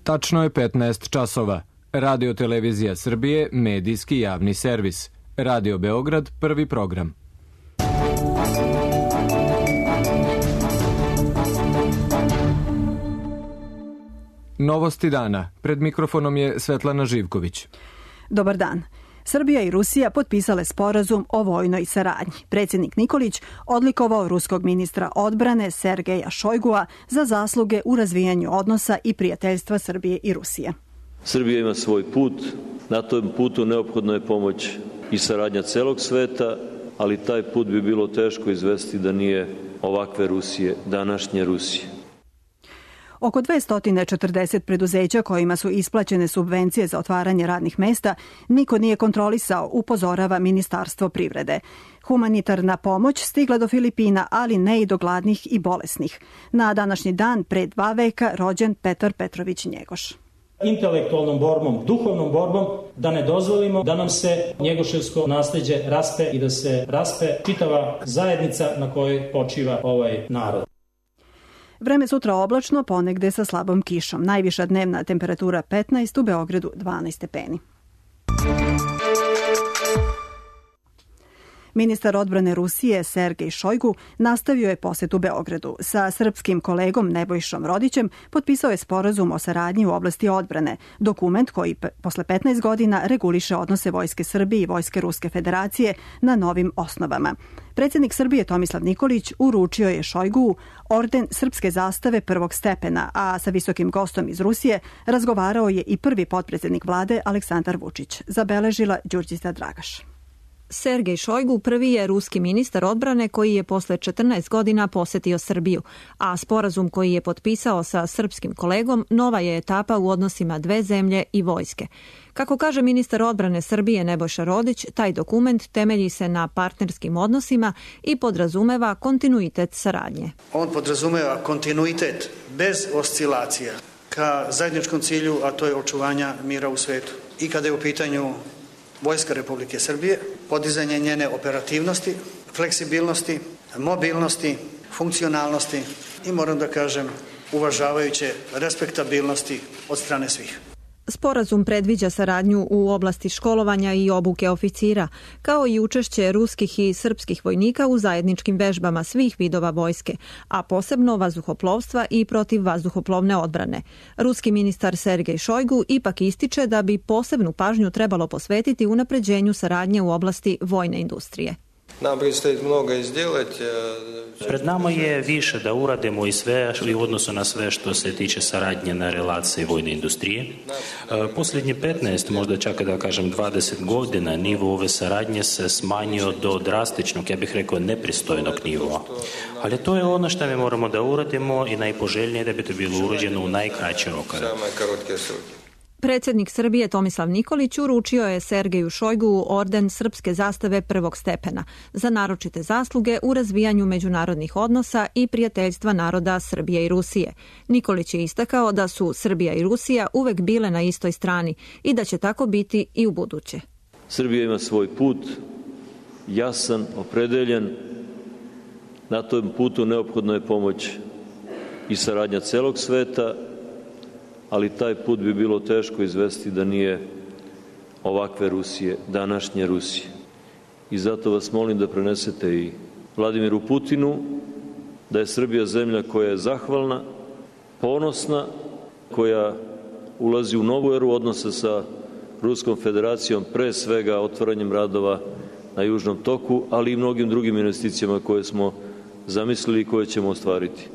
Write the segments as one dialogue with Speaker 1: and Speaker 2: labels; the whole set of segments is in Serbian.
Speaker 1: Tačno je 15 časova. Radio Televizija Srbije, medijski javni servis. Radio Beograd, prvi program. Novosti dana. Pred mikrofonom je Svetlana Živković.
Speaker 2: Dobar dan. Srbija i Rusija potpisale sporazum o vojnoj saradnji. Predsjednik Nikolić odlikovao ruskog ministra odbrane Sergeja Šojgua za zasluge u razvijanju odnosa i prijateljstva Srbije i Rusije.
Speaker 3: Srbija ima svoj put, na tom putu neophodna je pomoć i saradnja celog sveta, ali taj put bi bilo teško izvesti da nije ovakve Rusije, današnje Rusije.
Speaker 2: Oko 240 preduzeća kojima su isplaćene subvencije za otvaranje radnih mesta niko nije kontrolisao, upozorava Ministarstvo privrede. Humanitarna pomoć stigla do Filipina, ali ne i do gladnih i bolesnih. Na današnji dan, pre 2 veka, rođen Petar Petrović Njegoš.
Speaker 4: Intelektualnom borbom, duhovnom borbom, da ne dozvolimo da nam se njegoševsko nasleđe raspe i da se raspe čitava zajednica na kojoj počiva ovaj narod.
Speaker 2: Vreme sutra oblačno, ponegde sa slabom kišom. Najviša dnevna temperatura 15, u Beogradu 12 stepeni. Ministar odbrane Rusije Sergej Šojgu nastavio je posetu Beogradu. Sa srpskim kolegom Nebojšom Rodićem potpisao je sporazum o saradnji u oblasti odbrane, dokument koji posle 15 godina reguliše odnose Vojske Srbije i Vojske Ruske Federacije na novim osnovama. Predsjednik Srbije Tomislav Nikolić uručio je Šojgu orden srpske zastave prvog stepena, a sa visokim gostom iz Rusije razgovarao je i prvi potpredsjednik vlade Aleksandar Vučić, zabeležila Đurđica Dragaš.
Speaker 5: Sergej Šojgu prvi je ruski ministar odbrane koji je posle 14 godina posetio Srbiju, a sporazum koji je potpisao sa srpskim kolegom nova je etapa u odnosima dve zemlje i vojske. Kako kaže ministar odbrane Srbije Nebojša Rodić, taj dokument temelji se na partnerskim odnosima i podrazumeva kontinuitet saradnje.
Speaker 6: On podrazumeva kontinuitet bez oscilacija ka zajedničkom cilju, a to je očuvanja mira u svetu. I kada je u pitanju Vojska Republike Srbije, podizanje njene operativnosti, fleksibilnosti, mobilnosti, funkcionalnosti i moram da kažem uvažavajuće respektabilnosti od strane svih.
Speaker 5: Sporazum predviđa saradnju u oblasti školovanja i obuke oficira, kao i učešće ruskih i srpskih vojnika u zajedničkim vežbama svih vidova vojske, a posebno vazduhoplovstva i protivvazduhoplovne odbrane. Ruski ministar Sergej Šojgu ipak ističe da bi posebnu pažnju trebalo posvetiti unapređenju saradnje u oblasti vojne industrije.
Speaker 7: Pred nama je više da uradimo i sve u odnosu na sve što se tiče saradnje na relaciji vojne industrije. Posljednji 15, možda čak da kažem 20 godina, nivo ove saradnje se smanjio do drastičnog, ja bih rekao, nepristojnog nivoa. Ali to je ono što mi moramo da uradimo i najpoželjnije da bi to bilo urađeno u najkraći rok.
Speaker 5: Predsjednik Srbije Tomislav Nikolić uručio je Sergeju Šojgu orden srpske zastave prvog stepena za naročite zasluge u razvijanju međunarodnih odnosa i prijateljstva naroda Srbije i Rusije. Nikolić je istakao da su Srbija i Rusija uvek bile na istoj strani i da će tako biti i u buduće.
Speaker 3: Srbija ima svoj put, jasan, opredeljen. Na tom putu neophodna je pomoć i saradnja celog sveta, ali taj put bi bilo teško izvesti da nije ovakve Rusije, današnje Rusije. I zato vas molim da prenesete i Vladimiru Putinu da je Srbija zemlja koja je zahvalna, ponosna, koja ulazi u novu eru odnosa sa Ruskom Federacijom, pre svega otvaranjem radova na Južnom toku, ali i mnogim drugim investicijama koje smo zamislili i koje ćemo ostvariti.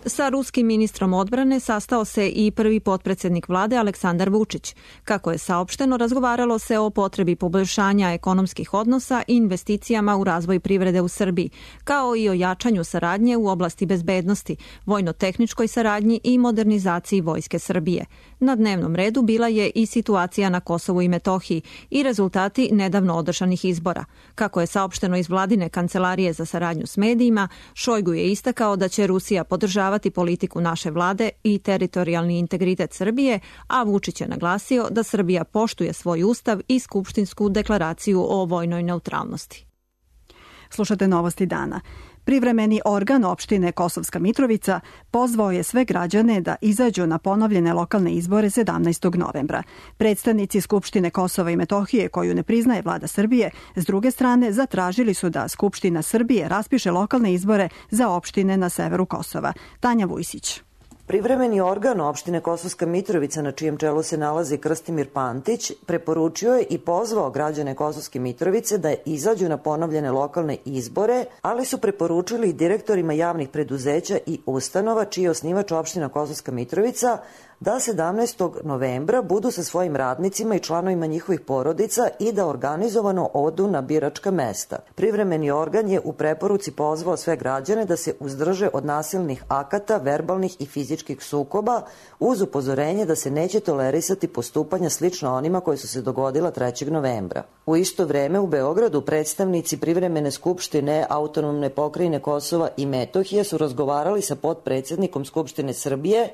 Speaker 5: Sa ruskim ministrom odbrane sastao se i prvi potpredsjednik vlade Aleksandar Vučić. Kako je saopšteno, razgovaralo se o potrebi poboljšanja ekonomskih odnosa i investicijama u razvoj privrede u Srbiji, kao i o jačanju saradnje u oblasti bezbednosti, vojno-tehničkoj saradnji i modernizaciji Vojske Srbije. Na dnevnom redu bila je i situacija na Kosovu i Metohiji i rezultati nedavno održanih izbora. Kako je saopšteno iz vladine kancelarije za saradnju s medijima, Šojgu je istakao da će Rusija podržavati politiku naše vlade i teritorijalni integritet Srbije, a Vučić je naglasio da Srbija poštuje svoj ustav i skupštinsku deklaraciju o vojnoj neutralnosti.
Speaker 2: Slušate novosti dana. Privremeni organ opštine Kosovska Mitrovica pozvao je sve građane da izađu na ponovljene lokalne izbore 17. novembra. Predstavnici Skupštine Kosova i Metohije, koju ne priznaje vlada Srbije, s druge strane zatražili su da Skupština Srbije raspiše lokalne izbore za opštine na severu Kosova. Tanja Vujsić.
Speaker 8: Privremeni organ opštine Kosovska Mitrovica, na čijem čelu se nalazi Krstimir Pantić, preporučio je i pozvao građane Kosovske Mitrovice da izađu na ponovljene lokalne izbore, ali su preporučili i direktorima javnih preduzeća i ustanova, čiji je osnivač opština Kosovska Mitrovica, da 17. novembra budu sa svojim radnicima i članovima njihovih porodica i da organizovano odu na biračka mesta. Privremeni organ je u preporuci pozvao sve građane da se uzdrže od nasilnih akata, verbalnih i fizičkih sukoba, uz upozorenje da se neće tolerisati postupanja slično onima koje su se dogodila 3. novembra. U isto vreme u Beogradu predstavnici Privremene skupštine Autonomne pokrajine Kosova i Metohije su razgovarali sa potpredsednikom Skupštine Srbije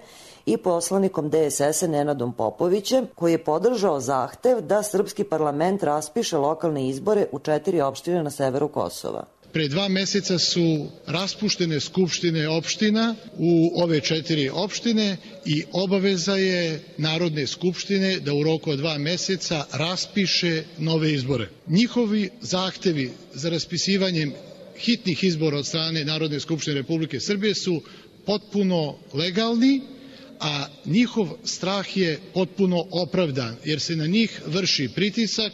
Speaker 8: i poslanikom DSS-a Nenadom Popovićem, koji je podržao zahtev da srpski parlament raspiše lokalne izbore u 4 opštine na severu Kosova.
Speaker 9: Pre 2 meseca su raspuštene skupštine opština u ove 4 opštine i obaveza je Narodne skupštine da u roku od 2 meseca raspiše nove izbore. Njihovi zahtevi za raspisivanjem hitnih izbora od strane Narodne skupštine Republike Srbije su potpuno legalni, a njihov strah je potpuno opravdan, jer se na njih vrši pritisak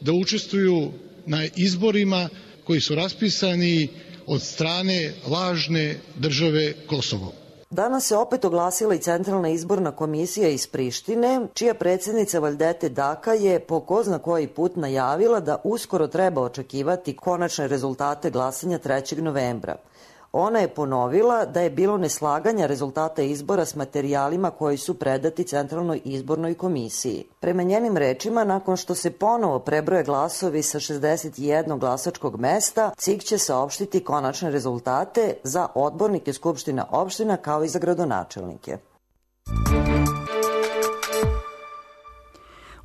Speaker 9: da učestvuju na izborima koji su raspisani od strane lažne države Kosovo.
Speaker 8: Danas se opet oglasila i Centralna izborna komisija iz Prištine, čija predsjednica Valdete Daka je po ko zna koji put najavila da uskoro treba očekivati konačne rezultate glasanja 3. novembra. Ona je ponovila da je bilo neslaganja rezultata izbora s materijalima koji su predati Centralnoj izbornoj komisiji. Prema njenim rečima, nakon što se ponovo prebroje glasovi sa 61 glasačkog mesta, CIK će saopštiti konačne rezultate za odbornike Skupština opština kao i za gradonačelnike.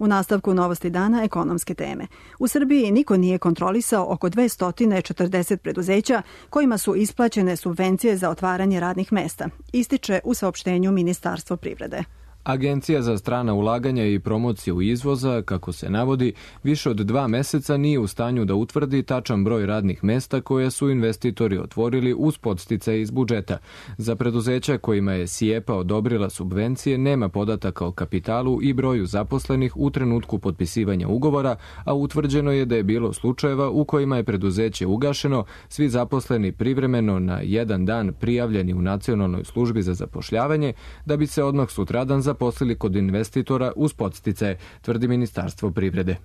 Speaker 2: U nastavku Novosti dana ekonomske teme. U Srbiji niko nije kontrolisao oko 240 preduzeća kojima su isplaćene subvencije za otvaranje radnih mesta, ističe u saopštenju Ministarstvo privrede.
Speaker 1: Agencija za strana ulaganja i promociju izvoza, kako se navodi, više od 2 meseca nije u stanju da utvrdi tačan broj radnih mesta koje su investitori otvorili uz podsticaje iz budžeta. Za preduzeća kojima je SIEPA odobrila subvencije nema podataka o kapitalu i broju zaposlenih u trenutku potpisivanja ugovora, a utvrđeno je da je bilo slučajeva u kojima je preduzeće ugašeno, svi zaposleni privremeno na 1 dan prijavljeni u Nacionalnoj službi za zapošljavanje, da bi se odmah sutradan zaposlili kod investitora uz podsticaje, tvrdi Ministarstvo privrede.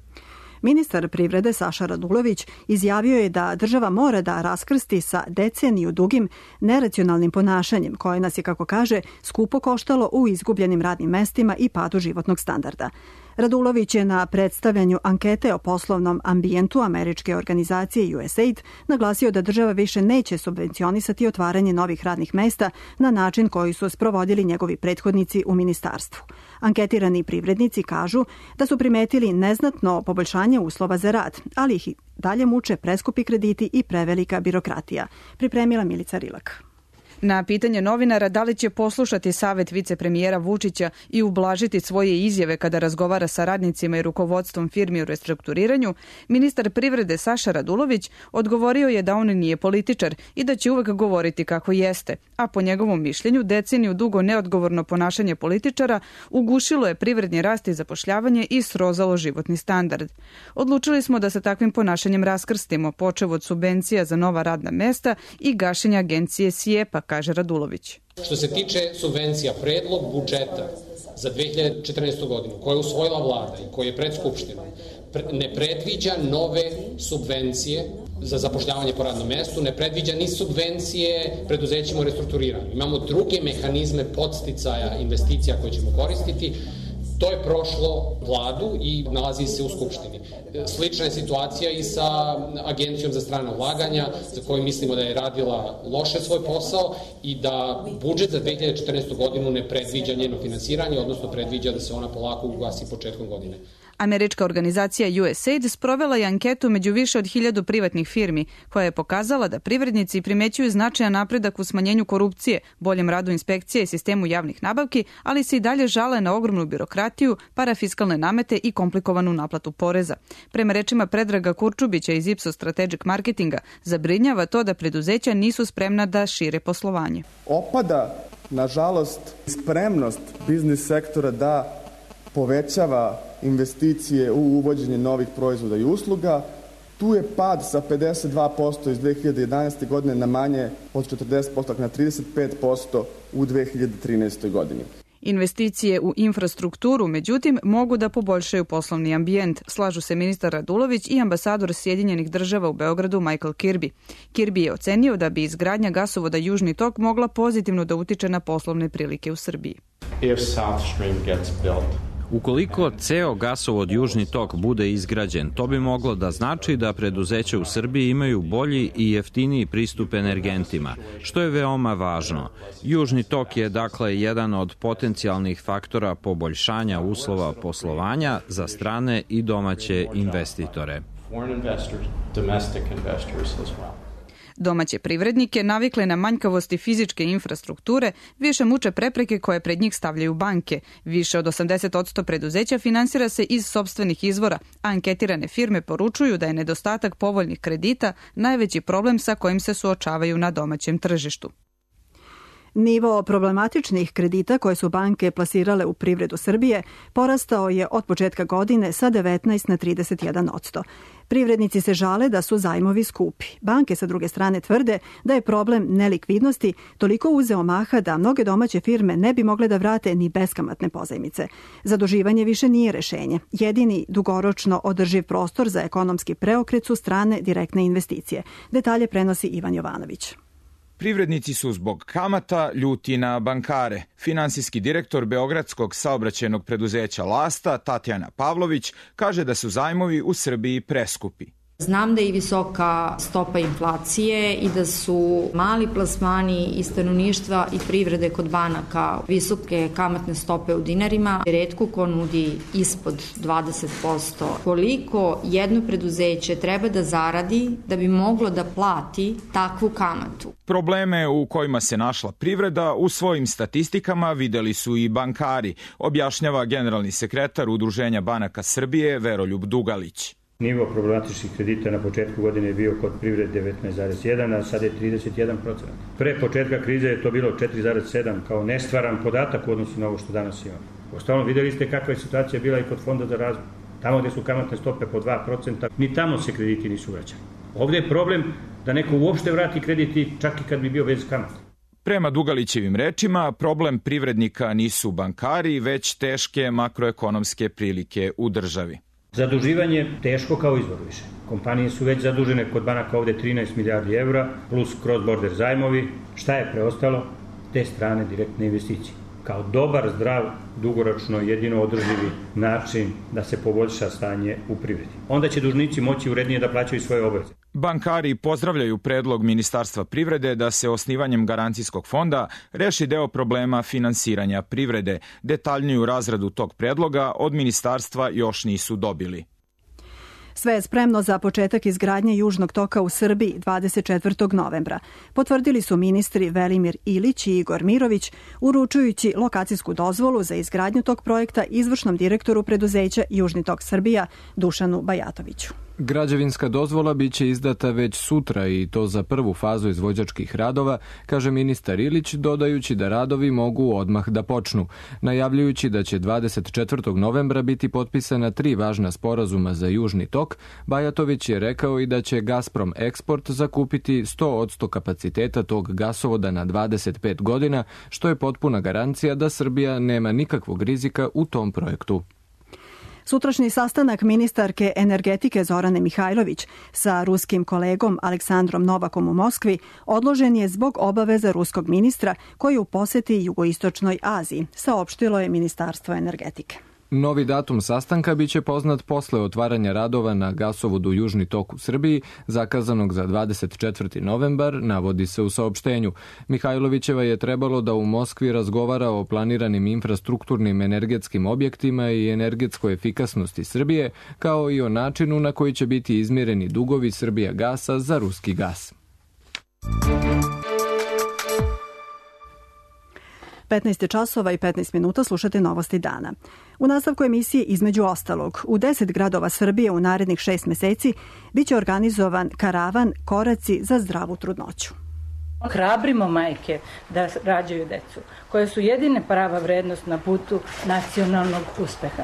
Speaker 2: Ministar privrede Saša Radulović izjavio je da država mora da raskrsti sa deceniju dugim neracionalnim ponašanjem koje nas je, kako kaže, skupo koštalo u izgubljenim radnim mestima i padu životnog standarda. Radulović je na predstavljanju ankete o poslovnom ambijentu američke organizacije USAID naglasio da država više neće subvencionisati otvaranje novih radnih mesta na način koji su sprovodili njegovi prethodnici u ministarstvu. Anketirani privrednici kažu da su primetili neznatno poboljšanje uslova za rad, ali ih dalje muče preskupi krediti i prevelika birokratija. Pripremila Milica Rilak.
Speaker 10: Na pitanje novinara da li će poslušati savet vicepremijera Vučića i ublažiti svoje izjave kada razgovara sa radnicima i rukovodstvom firmi u restrukturiranju, ministar privrede Saša Radulović odgovorio je da on nije političar i da će uvek govoriti kako jeste, a po njegovom mišljenju deceniju dugo neodgovorno ponašanje političara ugušilo je privredni rast i zapošljavanje i srozalo životni standard. Odlučili smo da sa takvim ponašanjem raskrstimo, počev od subvencija za nova radna mesta i gašenja agencije SIEPA, kaže Radulović.
Speaker 11: Što se tiče subvencija, predlog budžeta za 2014. godinu koje je usvojila vlada i koje je pred Skupštinom ne predviđa nove subvencije za zapošljavanje po radnom mestu, ne predviđa ni subvencije preduzećima u restrukturiranju. Imamo druge mehanizme podsticaja investicija koje ćemo koristiti. To je prošlo vladu i nalazi se u Skupštini. Slična je situacija i sa Agencijom za strana ulaganja, za koju mislimo da je radila loše svoj posao i da budžet za 2014. godinu ne predviđa njeno finansiranje, odnosno predviđa da se ona polako ugasi početkom godine.
Speaker 10: Američka organizacija USAID sprovela je anketu među više od 1000 privatnih firmi, koja je pokazala da privrednici primećuju značajan napredak u smanjenju korupcije, boljem radu inspekcije i sistemu javnih nabavki, ali se i dalje žale na ogromnu birokratiju, parafiskalne namete i komplikovanu naplatu poreza. Prema rečima Predraga Kurčubića iz Ipsos Strategic Marketinga, zabrinjava to da preduzeća nisu spremna da šire poslovanje.
Speaker 12: Opada, nažalost, spremnost biznis sektora da povećava investicije u uvođenje novih proizvoda i usluga. Tu je pad sa 52% iz 2011. godine na manje od 40%, na 35% u 2013. godini.
Speaker 10: Investicije u infrastrukturu, međutim, mogu da poboljšaju poslovni ambijent, slažu se ministar Radulović i ambasador Sjedinjenih država u Beogradu Michael Kirby. Kirby je ocenio da bi izgradnja gasovoda Južni tok mogla pozitivno da utiče na poslovne prilike u Srbiji.
Speaker 13: Ukoliko ceo gasovod Južni tok bude izgrađen, to bi moglo da znači da preduzeća u Srbiji imaju bolji i jeftiniji pristup energentima, što je veoma važno. Južni tok je dakle jedan od potencijalnih faktora poboljšanja uslova poslovanja za strane i domaće investitore.
Speaker 10: Domaće privrednike, navikle na manjkavosti fizičke infrastrukture, više muče prepreke koje pred njih stavljaju banke. Više od 80% preduzeća finansira se iz sopstvenih izvora, a anketirane firme poručuju da je nedostatak povoljnih kredita najveći problem sa kojim se suočavaju na domaćem tržištu.
Speaker 2: Nivo problematičnih kredita koje su banke plasirale u privredu Srbije porastao je od početka godine sa 19 na 31%. Privrednici se žale da su zajmovi skupi. Banke sa druge strane tvrde da je problem nelikvidnosti toliko uzeo maha da mnoge domaće firme ne bi mogle da vrate ni beskamatne pozajmice. Zaduživanje više nije rešenje. Jedini dugoročno održiv prostor za ekonomski preokret su strane direktne investicije. Detalje prenosi Ivan Jovanović.
Speaker 14: Privrednici su zbog kamata ljuti na bankare. Finansijski direktor Beogradskog saobraćajnog preduzeća Lasta, Tatjana Pavlović, kaže da su zajmovi u Srbiji preskupi.
Speaker 15: Znam da je i visoka stopa inflacije i da su mali plasmani i stanovništva i privrede kod banaka visoke kamatne stope u dinarima. Retko ko nudi ispod 20%. Koliko jedno preduzeće treba da zaradi da bi moglo da plati takvu kamatu?
Speaker 14: Probleme u kojima se našla privreda u svojim statistikama videli su i bankari, objašnjava generalni sekretar Udruženja banaka Srbije Veroljub Dugalić.
Speaker 16: Nivo problematičnih kredita na početku godine je bio kod privrede 19,1, a sada je 31%. Pre početka krize je to bilo 4,7 kao nestvaran podatak u odnosu na ovo što danas imamo. Ostalom, videli ste kakva je situacija bila i kod Fonda za razvoj. Tamo gde su kamatne stope po 2%, ni tamo se krediti nisu vraćali. Ovde je problem da neko uopšte vrati krediti čak i kad bi bio bez kamata.
Speaker 14: Prema Dugalićevim rečima, problem privrednika nisu bankari, već teške makroekonomske prilike u državi.
Speaker 16: Zaduživanje teško kao izvor više. Kompanije su već zadužene kod banaka ovde 13 milijardi evra plus cross-border zajmovi. Šta je preostalo? Te strane direktne investicije. Kao dobar, zdrav, dugoročno, jedino održivi način da se poboljša stanje u privredi. Onda će dužnici moći urednije da plaćaju svoje obaveze.
Speaker 14: Bankari pozdravljaju predlog Ministarstva privrede da se osnivanjem garancijskog fonda reši deo problema finansiranja privrede. Detaljniju razradu tog predloga od ministarstva još nisu dobili.
Speaker 2: Sve je spremno za početak izgradnje Južnog toka u Srbiji 24. novembra. Potvrdili su ministri Velimir Ilić i Igor Mirović, uručujući lokacijsku dozvolu za izgradnju tog projekta izvršnom direktoru preduzeća Južni tok Srbija Dušanu Bajatoviću.
Speaker 1: Građevinska dozvola biće izdata već sutra i to za prvu fazu izvođačkih radova, kaže ministar Ilić, dodajući da radovi mogu odmah da počnu, najavljujući da će 24. novembra biti potpisana 3 važna sporazuma za Južni tok. Bajatović je rekao i da će Gazprom Eksport zakupiti 100% kapaciteta tog gasovoda na 25 godina, što je potpuna garancija da Srbija nema nikakvog rizika u tom projektu.
Speaker 2: Sutrašnji sastanak ministarke energetike Zorane Mihajlović sa ruskim kolegom Aleksandrom Novakom u Moskvi odložen je zbog obaveza ruskog ministra koji u poseti jugoistočnoj Aziji, saopštilo je Ministarstvo energetike.
Speaker 1: Novi datum sastanka biće poznat posle otvaranja radova na gasovodu Južni tok u Srbiji, zakazanog za 24. novembar, navodi se u saopštenju. Mihajlovićeva je trebalo da u Moskvi razgovara o planiranim infrastrukturnim energetskim objektima i energetskoj efikasnosti Srbije, kao i o načinu na koji će biti izmireni dugovi Srbijagasa za ruski gas.
Speaker 2: 15 časova i 15 minuta slušate Novosti dana. U nastavku emisije između ostalog, u 10 gradova Srbije u narednih 6 meseci biće organizovan karavan Koraci za zdravu trudnoću.
Speaker 17: Hrabrimo majke da rađaju decu, koje su jedine prava vrednost na putu nacionalnog uspeha.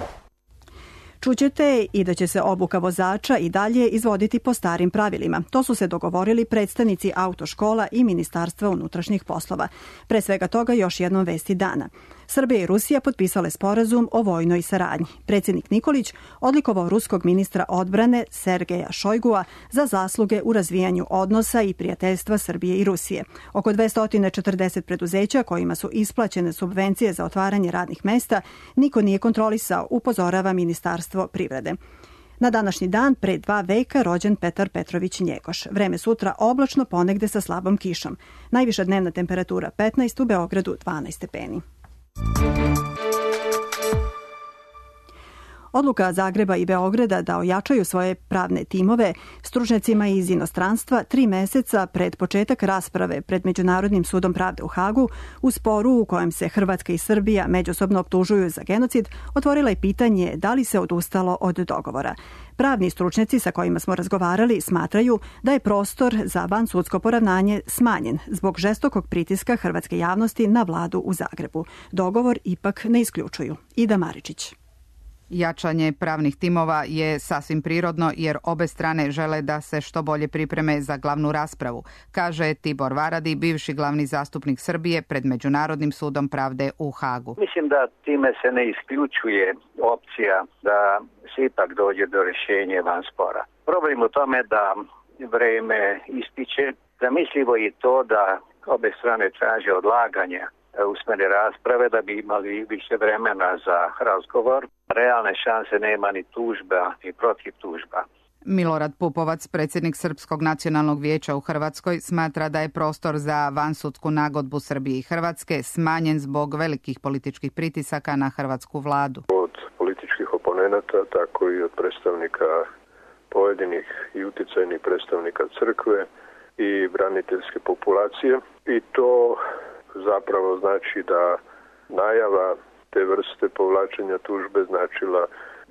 Speaker 2: Čućete i da će se obuka vozača i dalje izvoditi po starim pravilima. To su se dogovorili predstavnici autoškola i Ministarstva unutrašnjih poslova. Pre svega toga još jednom vesti dana. Srbija i Rusija potpisale sporazum o vojnoj saradnji. Predsjednik Nikolić odlikovao ruskog ministra odbrane Sergeja Šojgua za zasluge u razvijanju odnosa i prijateljstva Srbije i Rusije. Oko 240 preduzeća kojima su isplaćene subvencije za otvaranje radnih mesta niko nije kontrolisao, upozorava Ministarstvo privrede. Na današnji dan, pre 2 veka, rođen Petar Petrović Njegoš. Vreme sutra oblačno, ponegde sa slabom kišom. Najviša dnevna temperatura 15, u Beogradu 12 stepeni. Odluka Zagreba i Beograda da ojačaju svoje pravne timove stručnjacima iz inostranstva 3 meseca pred početak rasprave pred Međunarodnim sudom pravde u Hagu u sporu u kojem se Hrvatska i Srbija međusobno optužuju za genocid, otvorila je pitanje da li se odustalo od dogovora. Pravni stručnjaci sa kojima smo razgovarali smatraju da je prostor za vansudsko poravnanje smanjen zbog žestokog pritiska hrvatske javnosti na vladu u Zagrebu. Dogovor ipak ne isključuju. Ida Maričić.
Speaker 18: Jačanje pravnih timova je sasvim prirodno jer obe strane žele da se što bolje pripreme za glavnu raspravu, kaže Tibor Varadi, bivši glavni zastupnik Srbije pred Međunarodnim sudom pravde u Hagu.
Speaker 19: Mislim da time se ne isključuje opcija da se ipak dođe do rješenja van spora. Problem u tome da vreme ističe, zamislivo je to da obe strane traže odlaganje usmene rasprave da bi imali više vremena za razgovor. Realne šanse nema ni tužba, ni protiv tužba.
Speaker 18: Milorad Pupovac, predsjednik Srpskog nacionalnog vijeća u Hrvatskoj, smatra da je prostor za vansudsku nagodbu Srbije i Hrvatske smanjen zbog velikih političkih pritisaka na hrvatsku vladu.
Speaker 20: Od političkih oponenata, tako i od predstavnika pojedinih i uticajnih predstavnika crkve i braniteljske populacije. I to zapravo znači da najava te vrste povlačenja tužbe značila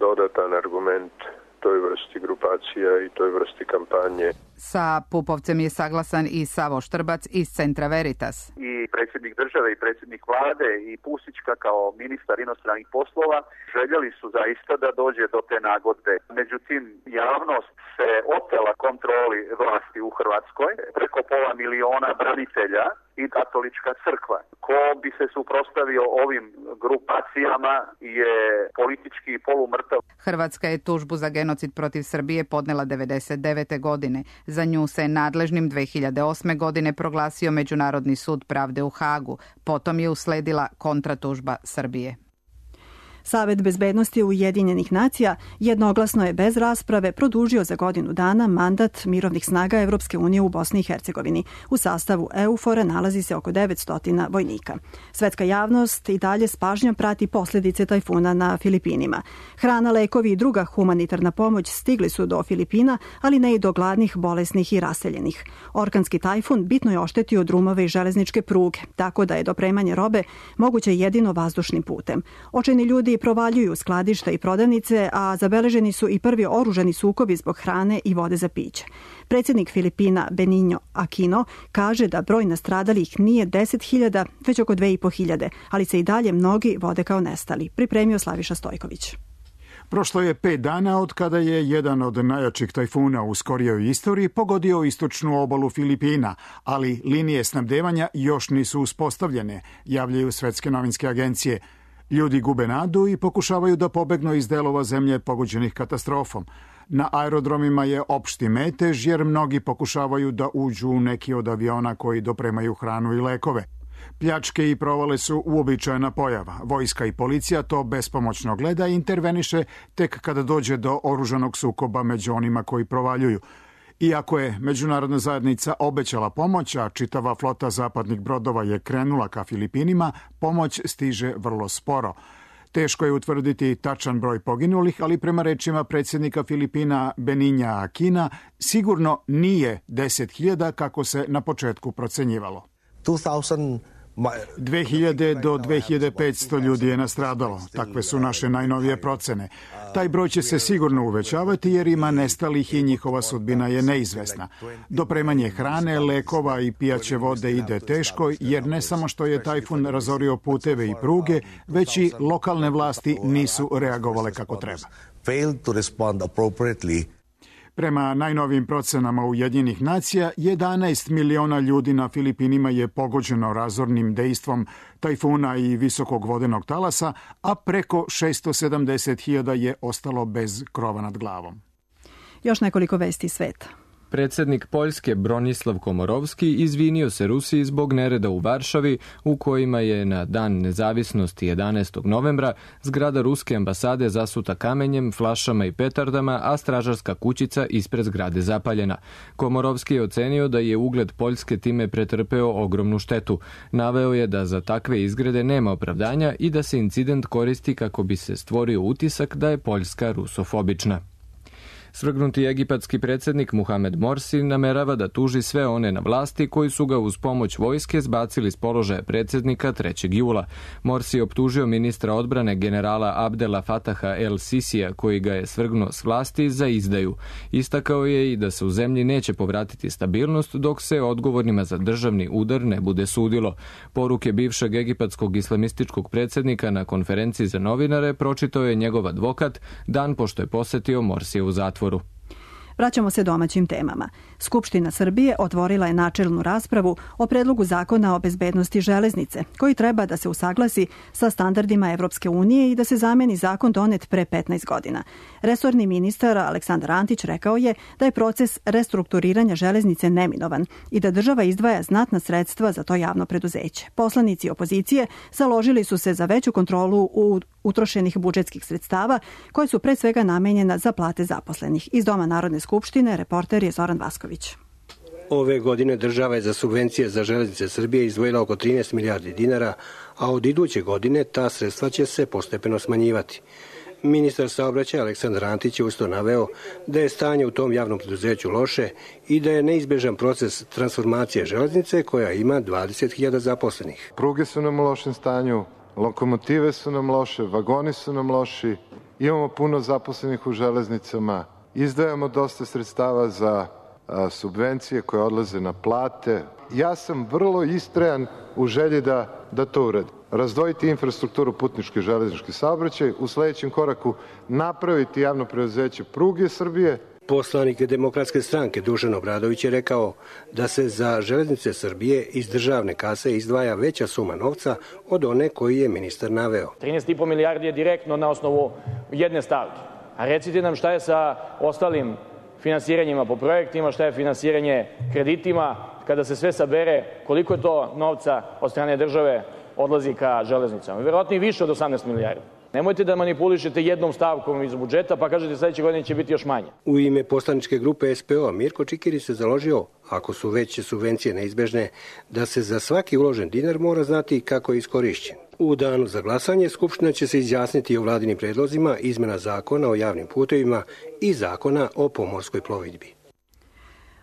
Speaker 20: dodatan argument toj vrsti grupacija i toj vrsti kampanje.
Speaker 18: Sa Pupovcem je saglasan i Savo Štrbac iz Centra Veritas.
Speaker 21: I predsjednik države i predsjednik vlade i Pusićka kao ministar inostranih poslova željeli su zaista da dođe do te nagodbe. Međutim, javnost se otela kontroli vlasti u Hrvatskoj, preko 500 miliona branitelja i katolička crkva. Ko bi se suprotstavio ovim grupacijama je politički polumrtav.
Speaker 18: Hrvatska je tužbu za genocid protiv Srbije podnela 1999. godine. Za nju se nadležnim 2008. godine proglasio Međunarodni sud pravde u Hagu. Potom je usledila kontratužba Srbije.
Speaker 2: Savet bezbednosti Ujedinjenih nacija jednoglasno je bez rasprave produžio za godinu dana mandat mirovnih snaga Evropske unije u Bosni i Hercegovini. U sastavu EUFOR-a nalazi se oko 900 vojnika. Svetska javnost i dalje s pažnjom prati posljedice tajfuna na Filipinima. Hrana, lekovi i druga humanitarna pomoć stigli su do Filipina, ali ne i do gladnih, bolesnih i raseljenih. Orkanski tajfun bitno je oštetio drumove i železničke pruge, tako da je dopremanje robe moguće jedino vazdušnim putem. Očajni ljudi provaljuju skladišta i prodavnice, a zabeleženi su i prvi oružani sukobi zbog hrane i vode za piće. Predsjednik Filipina Benigno Aquino kaže da broj nastradalih nije 10.000, već oko 2.500, ali se i dalje mnogi vode kao nestali. Pripremio Slaviša Stojković.
Speaker 22: Prošlo je 5 dana od kada je jedan od najjačih tajfuna u skorijoj istoriji pogodio istočnu obalu Filipina, ali linije snabdevanja još nisu uspostavljene, javljaju svetske novinske agencije. Ljudi gube nadu i pokušavaju da pobegnu iz delova zemlje pogođenih katastrofom. Na aerodromima je opšti metež jer mnogi pokušavaju da uđu u neki od aviona koji dopremaju hranu i lekove. Pljačke i provale su uobičajena pojava. Vojska i policija to bespomoćno gleda i interveniše tek kada dođe do oružanog sukoba među onima koji provaljuju. Iako je međunarodna zajednica obećala pomoć, a čitava flota zapadnih brodova je krenula ka Filipinima, pomoć stiže vrlo sporo. Teško je utvrditi tačan broj poginulih, ali prema rečima predsjednika Filipina Beninja Aquina, sigurno nije 10.000 kako se na početku procenjivalo. 2000 do 2500 ljudi je nastradalo. Takve su naše najnovije procene. Taj broj će se sigurno uvećavati jer ima nestalih i njihova sudbina je neizvesna. Dopremanje hrane, lekova i pijaće vode ide teško jer ne samo što je tajfun razorio puteve i pruge, već i lokalne vlasti nisu reagovale kako treba. Prema najnovijim procenama Ujedinjenih nacija, 11 miliona ljudi na Filipinima je pogođeno razornim dejstvom tajfuna i visokog vodenog talasa, a preko 670.000 je ostalo bez krova nad glavom.
Speaker 2: Još nekoliko vesti sveta.
Speaker 1: Predsjednik Poljske Bronislav Komorovski izvinio se Rusiji zbog nereda u Varšavi u kojima je na dan nezavisnosti 11. novembra zgrada ruske ambasade zasuta kamenjem, flašama i petardama, a stražarska kućica ispred zgrade zapaljena. Komorovski je ocenio da je ugled Poljske time pretrpeo ogromnu štetu. Naveo je da za takve izgrede nema opravdanja i da se incident koristi kako bi se stvorio utisak da je Poljska rusofobična. Svrgnuti egipatski predsjednik Muhamed Morsi namerava da tuži sve one na vlasti koji su ga uz pomoć vojske zbacili s položaja predsjednika 3. jula. Morsi je optužio ministra odbrane generala Abdela Fataha El Sisija koji ga je svrgnuo s vlasti za izdaju. Istakao je i da se u zemlji neće povratiti stabilnost dok se odgovornima za državni udar ne bude sudilo. Poruke bivšeg egipatskog islamističkog predsjednika na konferenciji za novinare pročitao je njegov advokat dan pošto je posjetio Morsija u zatvoru.
Speaker 2: Vraćamo se domaćim temama. Skupština Srbije otvorila je načelnu raspravu o predlogu zakona o bezbednosti železnice, koji treba da se usaglasi sa standardima Evropske unije i da se zameni zakon donet pre 15 godina. Resorni ministar Aleksandar Antić rekao je da je proces restrukturiranja železnice neminovan i da država izdvaja znatna sredstva za to javno preduzeće. Poslanici opozicije založili su se za veću kontrolu utrošenih budžetskih sredstava koje su pre svega namenjena za plate zaposlenih. Iz Doma Narodne skupštine reporter je Zoran Vasković.
Speaker 4: Ove godine država je za subvencije za železnice Srbije izdvojila oko 13 milijardi dinara, a od iduće godine ta sredstva će se postepeno smanjivati. Ministar saobraćaja Aleksandar Antić je usto naveo da je stanje u tom javnom preduzeću loše i da je neizbežan proces transformacije železnice koja ima 20.000 zaposlenih.
Speaker 6: Pruge su nam u lošem stanju, lokomotive su nam loše, vagoni su nam loši, imamo puno zaposlenih u železnicama, izdajamo dosta sredstava za subvencije koje odlaze na plate. Ja sam vrlo istrajan u želji da to uradim. Razdvojiti infrastrukturu putnički i železnički saobraćaj, u sledećem koraku napraviti javno preduzeće Pruge Srbije.
Speaker 4: Poslanik Demokratske stranke Dušan Obradović je rekao da se za železnice Srbije iz državne kase izdvaja veća suma novca od one koju je ministar naveo.
Speaker 23: 13,5 milijardi je direktno na osnovu jedne stavke. A recite nam šta je sa ostalim finansiranjima po projektima, šta je finansiranje kreditima, kada se sve sabere, koliko je to novca od strane države odlazi ka železnicama. Verovatno i više od 18 milijardi. Nemojte da manipulišete jednom stavkom iz budžeta pa kažete sledeće godine će biti još manje.
Speaker 4: U ime poslaničke grupe SPO Mirko Čikiri se založio, ako su veće subvencije neizbežne, da se za svaki uložen dinar mora znati kako je iskorišćen. U danu za glasanje Skupština će se izjasniti o vladinim predlozima izmena zakona o javnim putevima i zakona o pomorskoj plovidbi.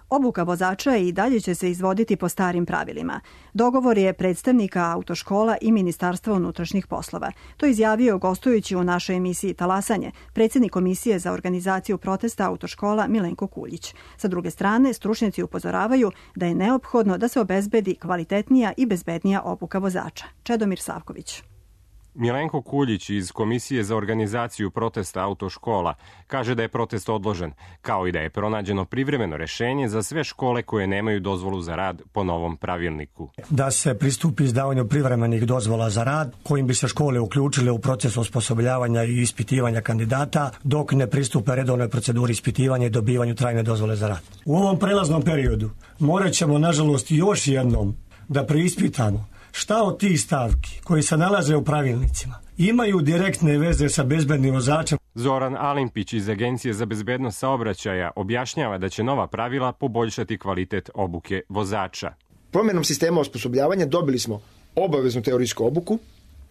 Speaker 2: Obuka vozača i dalje će se izvoditi po starim pravilima. Dogovor je predstavnika autoškola i Ministarstva unutrašnjih poslova. To izjavio gostujući u našoj emisiji Talasanje predsjednik Komisije za organizaciju protesta autoškola Milenko Kuljić. Sa druge strane, stručnjaci upozoravaju da je neophodno da se obezbedi kvalitetnija i bezbednija obuka vozača. Čedomir Savković.
Speaker 24: Milenko Kuljić iz Komisije za organizaciju protesta autoškola kaže da je protest odložen, kao i da je pronađeno privremeno rešenje za sve škole koje nemaju dozvolu za rad po novom pravilniku.
Speaker 25: Da se pristupi izdavanju privremenih dozvola za rad, kojim bi se škole uključile u proces osposobljavanja i ispitivanja kandidata, dok ne pristupe redovnoj proceduri ispitivanja i dobivanju trajne dozvole za rad. U ovom prelaznom periodu morat ćemo, nažalost, još jednom da preispitamo Šta od tih stavki koji se nalaze u pravilnicima imaju direktne veze sa bezbednim vozačem?
Speaker 24: Zoran Alimpić iz Agencije za bezbednost saobraćaja objašnjava da će nova pravila poboljšati kvalitet obuke vozača.
Speaker 3: Promjenom sistema osposobljavanja dobili smo obaveznu teorijsku obuku,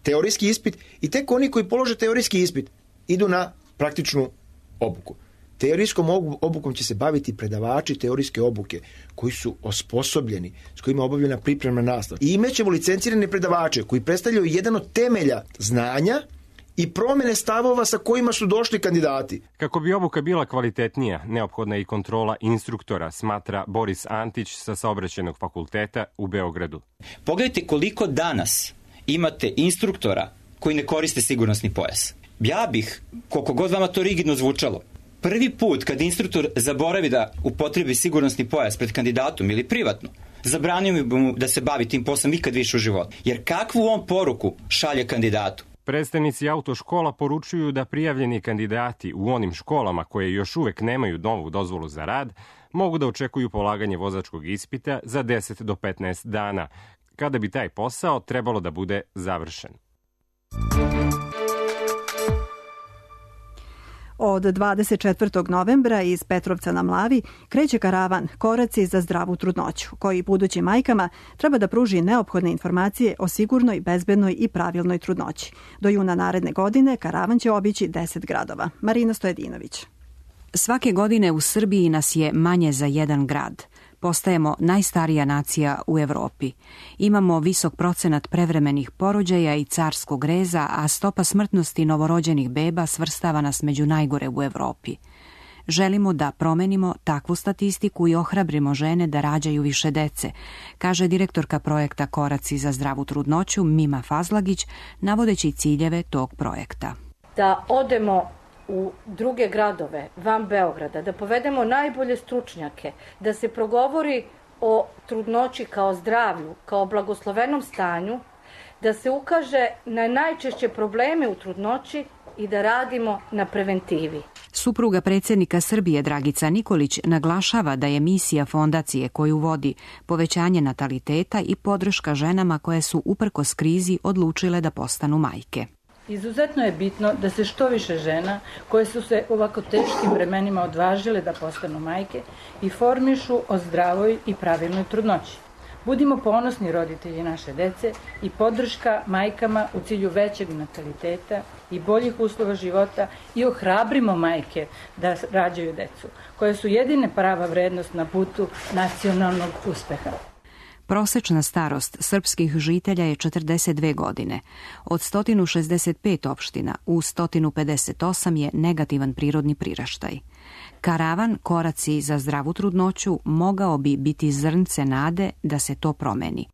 Speaker 3: teorijski ispit i tek oni koji polože teorijski ispit idu na praktičnu obuku. Teorijskom obukom će se baviti predavači teorijske obuke koji su osposobljeni, s kojima je obavljena pripremna nastava. I imaćemo licencirane predavače koji predstavljaju jedan od temelja znanja i promjene stavova sa kojima su došli kandidati.
Speaker 24: Kako bi obuka bila kvalitetnija, neophodna je i kontrola instruktora, smatra Boris Antić sa Saobraćajnog fakulteta u Beogradu.
Speaker 5: Pogledajte koliko danas imate instruktora koji ne koriste sigurnosni pojas. Ja bih, koliko god vama to rigidno zvučalo, prvi put kad instruktor zaboravi da upotrebi sigurnosni pojas pred kandidatom ili privatno, zabranio bi mu da se bavi tim poslom nikad više u životu. Jer kakvu on poruku šalje kandidatu?
Speaker 24: Predstavnici autoškola poručuju da prijavljeni kandidati u onim školama koje još uvek nemaju novu dozvolu za rad mogu da očekuju polaganje vozačkog ispita za 10 do 15 dana, kada bi taj posao trebalo da bude završen.
Speaker 2: Od 24. novembra iz Petrovca na Mlavi kreće karavan Koraci za zdravu trudnoću, koji budućim majkama treba da pruži neophodne informacije o sigurnoj, bezbednoj i pravilnoj trudnoći. Do juna naredne godine karavan će obići 10 gradova. Marina Stojedinović.
Speaker 7: Svake godine u Srbiji nas je manje za jedan grad. Postajemo najstarija nacija u Evropi. Imamo visok procenat prevremenih porođaja i carskog reza, a stopa smrtnosti novorođenih beba svrstava nas među najgore u Evropi. Želimo da promenimo takvu statistiku i ohrabrimo žene da rađaju više dece, kaže direktorka projekta Koraci za zdravu trudnoću Mima Fazlagić, navodeći ciljeve tog projekta.
Speaker 8: Da odemo u druge gradove, van Beograda, da povedemo najbolje stručnjake, da se progovori o trudnoći kao zdravlju, kao blagoslovenom stanju, da se ukaže na najčešće probleme u trudnoći i da radimo na preventivi.
Speaker 7: Supruga predsjednika Srbije Dragica Nikolić naglašava da je misija fondacije koju vodi povećanje nataliteta i podrška ženama koje su uprkos krizi odlučile da postanu majke.
Speaker 17: Izuzetno je bitno da se što više žena koje su se u ovako teškim vremenima odvažile da postanu majke informišu o zdravoj i pravilnoj trudnoći. Budimo ponosni roditelji naše dece i podrška majkama u cilju većeg nataliteta i boljih uslova života i ohrabrimo majke da rađaju decu, koje su jedine prava vrednost na putu nacionalnog uspeha.
Speaker 7: Prosečna starost srpskih žitelja je 42 godine. Od 165 opština u 158 je negativan prirodni priraštaj. Karavan Koraci za zdravu trudnoću mogao bi biti zrnce nade da se to promeni.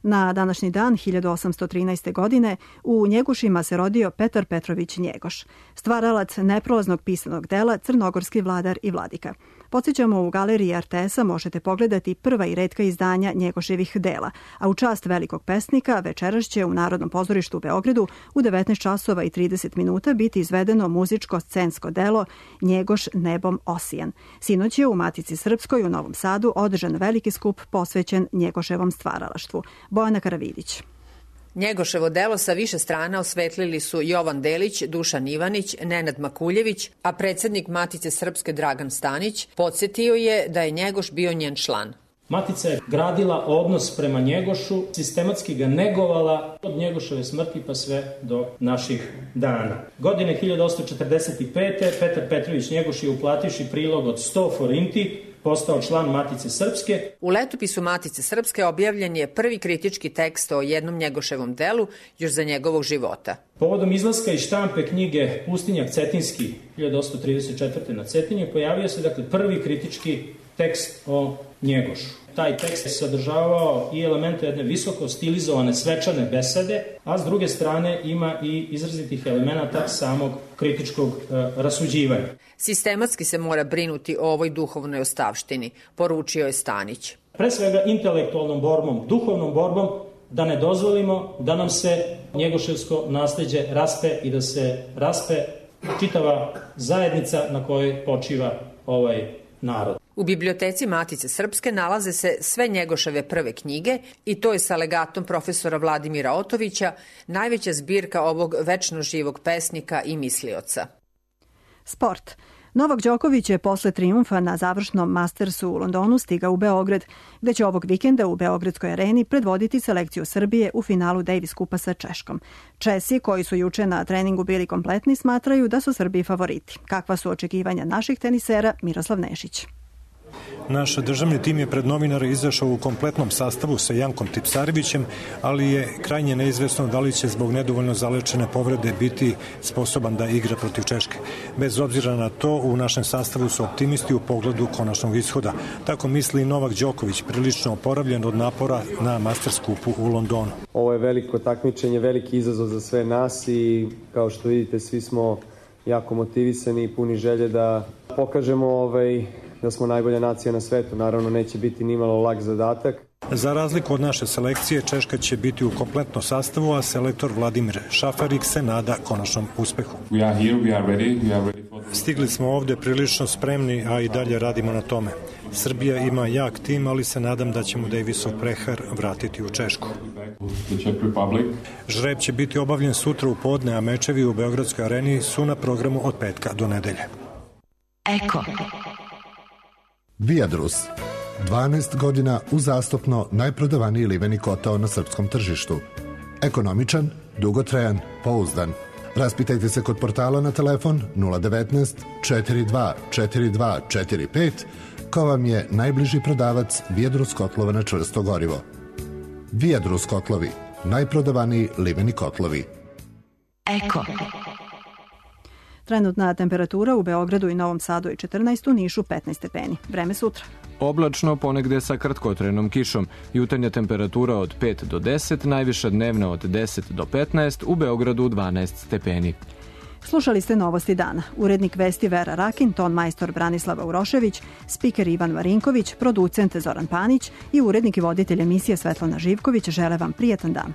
Speaker 2: Na današnji dan 1813. godine u Njegošima se rodio Petar Petrović Njegoš, stvaralac neprolaznog pisanog dela Crnogorski vladar i vladika. Podsjećamo, u galeriji RTS-a možete pogledati prva i retka izdanja Njegoševih dela, a u čast velikog pesnika večeras će u Narodnom pozorištu u Beogradu u 19 časova i 30 minuta biti izvedeno muzičko-scensko delo Njegoš nebom osijan. Sinoć je u Matici Srpskoj u Novom Sadu održan veliki skup posvećen Njegoševom stvaralaštvu. Bojana Karavidić.
Speaker 9: Njegoševo delo sa više strana osvetlili su Jovan Delić, Dušan Ivanić, Nenad Makuljević, a predsjednik Matice Srpske Dragan Stanić podsjetio je da je Njegoš bio njen član.
Speaker 26: Matica je gradila odnos prema Njegošu, sistematski ga negovala od Njegoševe smrti pa sve do naših dana. Godine 1845. Petar Petrović Njegoš je uplativši prilog od 100 forinti postao član Matice Srpske.
Speaker 9: U letopisu Matice Srpske objavljen je prvi kritički tekst o jednom Njegoševom delu još za njegovog života.
Speaker 26: Povodom izlaska iz štampe knjige Pustinjak Cetinski 1834. na Cetinje pojavio se prvi kritički tekst o Njegošu. Taj tekst je sadržavao i elemente jedne visoko stilizovane svečane besede, a s druge strane ima i izrazitih elemenata samog kritičkog rasuđivanja.
Speaker 9: Sistematski se mora brinuti o ovoj duhovnoj ostavštini, poručio je Stanić.
Speaker 26: Pre svega intelektualnom borbom, duhovnom borbom, da ne dozvolimo da nam se njegoševsko nasleđe raspe i da se raspe čitava zajednica na kojoj počiva ovaj narod.
Speaker 9: U biblioteci Matice Srpske nalaze se sve Njegoševe prve knjige i to je sa legatom profesora Vladimira Otovića najveća zbirka ovog večno živog pesnika i mislioca.
Speaker 2: Sport. Novak Đoković je posle trijumfa na završnom Mastersu u Londonu stigao u Beograd, gde će ovog vikenda u Beogradskoj areni predvoditi selekciju Srbije u finalu Davis kupa sa Češkom. Česi, koji su juče na treningu bili kompletni, smatraju da su Srbiji favoriti. Kakva su očekivanja naših tenisera? Miroslav Nešić.
Speaker 10: Naš državni tim je pred novinare izašao u kompletnom sastavu sa Jankom Tipsarevićem, ali je krajnje neizvesno da li će zbog nedovoljno zalečene povrede biti sposoban da igra protiv Češke. Bez obzira na to, u našem sastavu su optimisti u pogledu konačnog ishoda. Tako misli i Novak Đoković, prilično oporavljen od napora na Masters kupu u Londonu.
Speaker 11: Ovo je veliko takmičenje, veliki izazov za sve nas i kao što vidite svi smo jako motivisani i puni želje da pokažemo da smo najbolja nacija na svetu. Naravno, neće biti nimalo lak zadatak.
Speaker 10: Za razliku od naše selekcije, Češka će biti u kompletnom sastavu, a selektor Vladimir Šafarik se nada konačnom uspehu. Stigli smo ovde prilično spremni, a i dalje radimo na tome. Srbija ima jak tim, ali se nadam da ćemo Davisov prehar vratiti u Češku. Žreb će biti obavljen sutra u podne, a mečevi u Beogradskoj areni su na programu od petka do nedelje.
Speaker 12: Eko. Viadrus. 12 godina uzastopno najprodavaniji liveni kotao na srpskom tržištu. Ekonomičan, dugotrajan, pouzdan. Raspitajte se kod portala na telefon 019 42 42 45 ko vam je najbliži prodavac Viadrus kotlova na čvrsto gorivo. Viadrus kotlovi. Najprodavaniji liveni kotlovi. Eko.
Speaker 2: Trenutna temperatura u Beogradu i Novom Sadu je 14, u Nišu 15 stepeni. Vreme sutra.
Speaker 1: Oblačno, ponegde sa kratkotrenom kišom. Jutarnja temperatura od 5 do 10, najviša dnevna od 10 do 15, u Beogradu 12 stepeni.
Speaker 2: Slušali ste Novosti dana. Urednik vesti Vera Rakin, ton majstor Branislava Urošević, spiker Ivan Marinković, producent Zoran Panić i urednik i voditelj emisije Svetlana Živković žele vam prijetan dan.